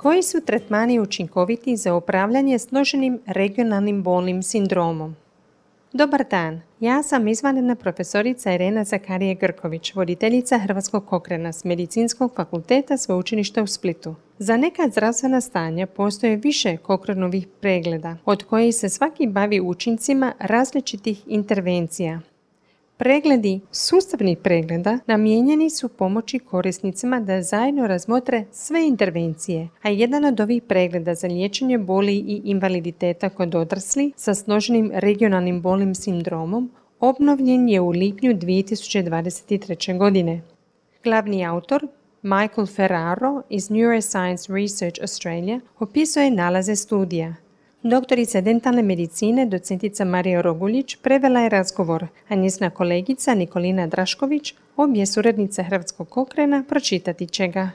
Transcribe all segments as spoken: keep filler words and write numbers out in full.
Koji su tretmani učinkoviti za upravljanje složenim regionalnim bolnim sindromom? Dobar dan, ja sam izvanredna profesorica Irena Zakarije-Grković, voditeljica Hrvatskog Cochrana s Medicinskog fakulteta Sveučilišta u Splitu. Za neka zdravstvena stanja postoje više Cochranovih pregleda, od kojih se svaki bavi učincima različitih intervencija. Pregledi sustavnih pregleda namijenjeni su pomoći korisnicima da zajedno razmotre sve intervencije, a jedan od ovih pregleda za liječenje boli i invaliditeta kod odraslih sa složenim regionalnim bolnim sindromom obnovljen je u lipnju dvije tisuće dvadeset treće. godine. Glavni autor, Michael Ferraro iz Neuroscience Research Australia, opisuje nalaze studija. Doktorica dentalne medicine, docentica Marija Roguljić, prevela je razgovor, a njezina kolegica Nikolina Drašković, obje suradnice Hrvatskog Cochrana, pročitati će ga.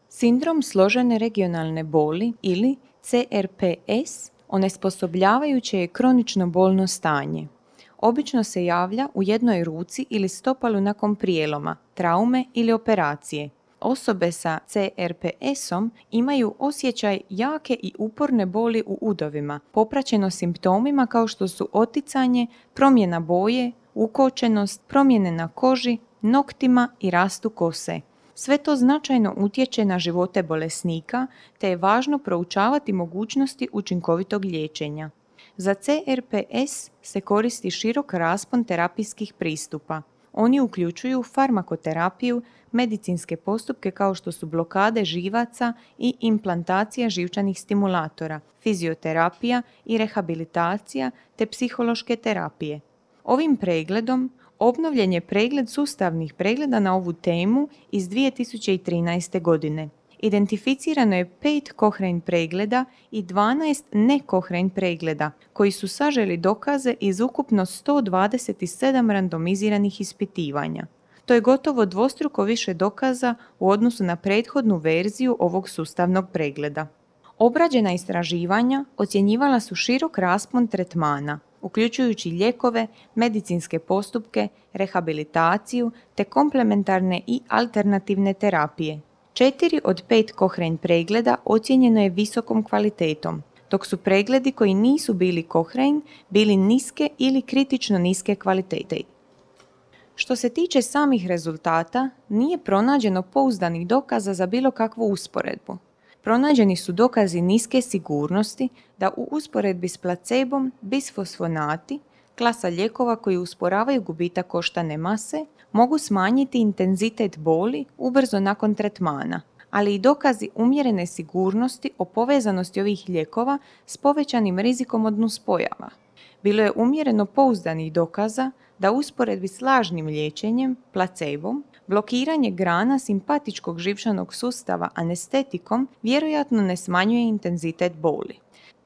Sindrom složene regionalne boli ili C R P S onesposobljavajuće je kronično bolno stanje. Obično se javlja u jednoj ruci ili stopalu nakon prijeloma, traume ili operacije. Osobe sa C R P S-om imaju osjećaj jake i uporne boli u udovima, popraćeno simptomima kao što su oticanje, promjena boje, ukočenost, promjene na koži, noktima i rastu kose. Sve to značajno utječe na živote bolesnika, te je važno proučavati mogućnosti učinkovitog liječenja. Za C R P S se koristi širok raspon terapijskih pristupa. Oni uključuju farmakoterapiju, medicinske postupke kao što su blokade živaca i implantacija živčanih stimulatora, fizioterapija i rehabilitacija te psihološke terapije. Ovim pregledom obnovljen je pregled sustavnih pregleda na ovu temu iz dvije tisuće trinaeste. godine. Identificirano je pet Cochrane pregleda i dvanaest ne Cochrane pregleda, koji su saželi dokaze iz ukupno sto dvadeset sedam randomiziranih ispitivanja. To je gotovo dvostruko više dokaza u odnosu na prethodnu verziju ovog sustavnog pregleda. Obrađena istraživanja ocjenjivala su širok raspon tretmana, uključujući lijekove, medicinske postupke, rehabilitaciju te komplementarne i alternativne terapije. Četiri od pet Cochrane pregleda ocijenjeno je visokom kvalitetom, dok su pregledi koji nisu bili Cochrane bili niske ili kritično niske kvalitete. Što se tiče samih rezultata, nije pronađeno pouzdanih dokaza za bilo kakvu usporedbu. Pronađeni su dokazi niske sigurnosti da u usporedbi s placebom bisfosfonati, klasa lijekova koji usporavaju gubitak koštane mase, mogu smanjiti intenzitet boli ubrzo nakon tretmana, ali i dokazi umjerene sigurnosti o povezanosti ovih lijekova s povećanim rizikom od nuspojava. Bilo je umjereno pouzdanih dokaza da u usporedbi s lažnim liječenjem, placebom, blokiranje grana simpatičkog živčanog sustava anestetikom vjerojatno ne smanjuje intenzitet boli.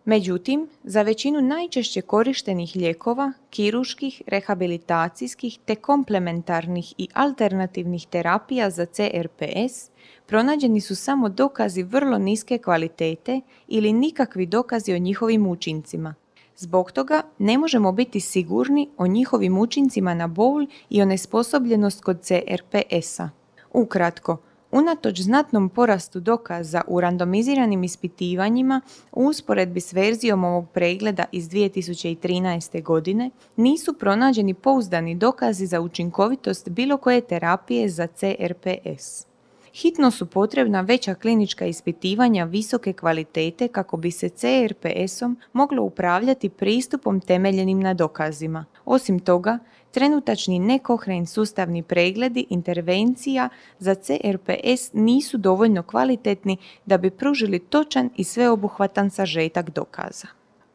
Međutim, za većinu najčešće korištenih lijekova, kirurških, rehabilitacijskih te komplementarnih i alternativnih terapija za C R P S pronađeni su samo dokazi vrlo niske kvalitete ili nikakvi dokazi o njihovim učincima. Zbog toga ne možemo biti sigurni o njihovim učincima na bol i onesposobljenost kod C R P S-a. Ukratko, unatoč znatnom porastu dokaza u randomiziranim ispitivanjima u usporedbi s verzijom ovog pregleda iz dvije tisuće trinaeste. godine, nisu pronađeni pouzdani dokazi za učinkovitost bilo koje terapije za C R P S. Hitno su potrebna veća klinička ispitivanja visoke kvalitete kako bi se C R P S-om moglo upravljati pristupom temeljenim na dokazima. Osim toga, trenutačni ne Cochrane sustavni pregledi intervencija za C R P S nisu dovoljno kvalitetni da bi pružili točan i sveobuhvatan sažetak dokaza.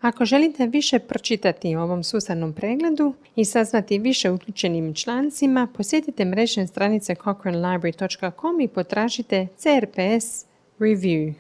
Ako želite više pročitati o ovom sustavnom pregledu i saznati više o uključenim člancima, posjetite mrežne stranice cochrane library dot com i potražite C R P S Review.